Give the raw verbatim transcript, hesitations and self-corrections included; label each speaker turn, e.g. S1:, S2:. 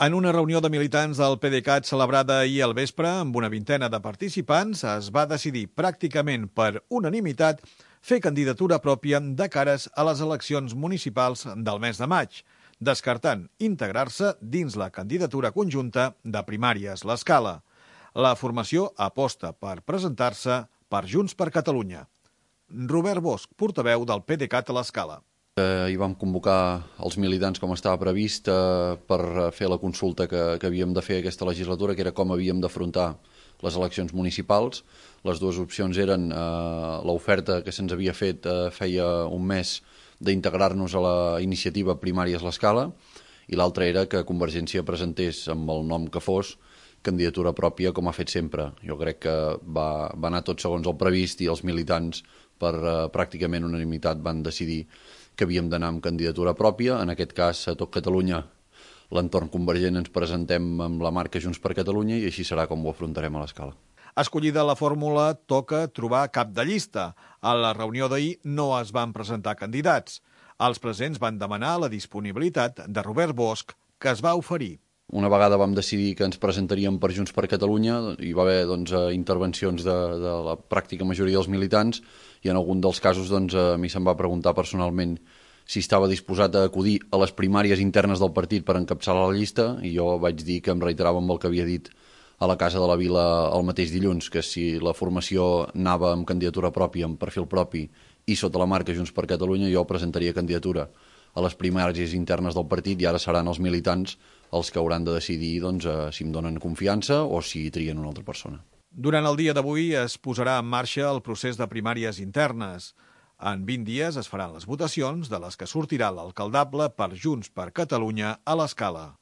S1: En una reunió de militants del P D Cat celebrada ahir al vespre amb una vintena de participants, es va decidir pràcticament per unanimitat fer candidatura pròpia de cares a les eleccions municipals del mes de maig, descartant integrar-se dins la candidatura conjunta de primàries l'Escala. La formació aposta per presentar-se per Junts per Catalunya. Robert Bosch, portaveu del P D Cat a l'Escala.
S2: Hi vam convocar els militants com estava previst eh, per fer la consulta que, que havíem de fer aquesta legislatura, que era com havíem d'afrontar les eleccions municipals. Les dues opcions eren eh, l'oferta que se'ns havia fet eh, feia un mes d'integrar-nos a la iniciativa Primàries l'Escala, i l'altra era que Convergència presentés amb el nom que fos candidatura pròpia, com ha fet sempre. Jo crec que va, va anar tot segons el previst i els militants per eh, pràcticament unanimitat van decidir que havíem d'anar amb candidatura pròpia. En aquest cas, a tot Catalunya, l'entorn convergent, ens presentem amb la marca Junts per Catalunya i així serà com ho afrontarem a l'Escala.
S1: Escollida la fórmula, toca trobar cap de llista. A la reunió d'ahir no es van presentar candidats. Els presents van demanar la disponibilitat de Robert Bosch, que es va oferir.
S2: Una vegada vam decidir que ens presentaríem per Junts per Catalunya, hi va haver doncs, intervencions de, de la pràctica majoria dels militants, i en algun dels casos doncs, a mi se'm va preguntar personalment si estava disposat a acudir a les primàries internes del partit per encapçalar la llista, i jo vaig dir que em reiterava amb el que havia dit a la Casa de la Vila el mateix dilluns, que si la formació anava amb candidatura pròpia, amb perfil propi i sota la marca Junts per Catalunya, jo presentaria candidatura a les primàries internes del partit, i ara seran els militants els que hauran de decidir doncs, si em donen confiança o si trien una altra persona.
S1: Durant el dia d'avui es posarà en marxa el procés de primàries internes. En vint dies es faran les votacions de les que sortirà l'alcaldable per Junts per Catalunya a l'Escala.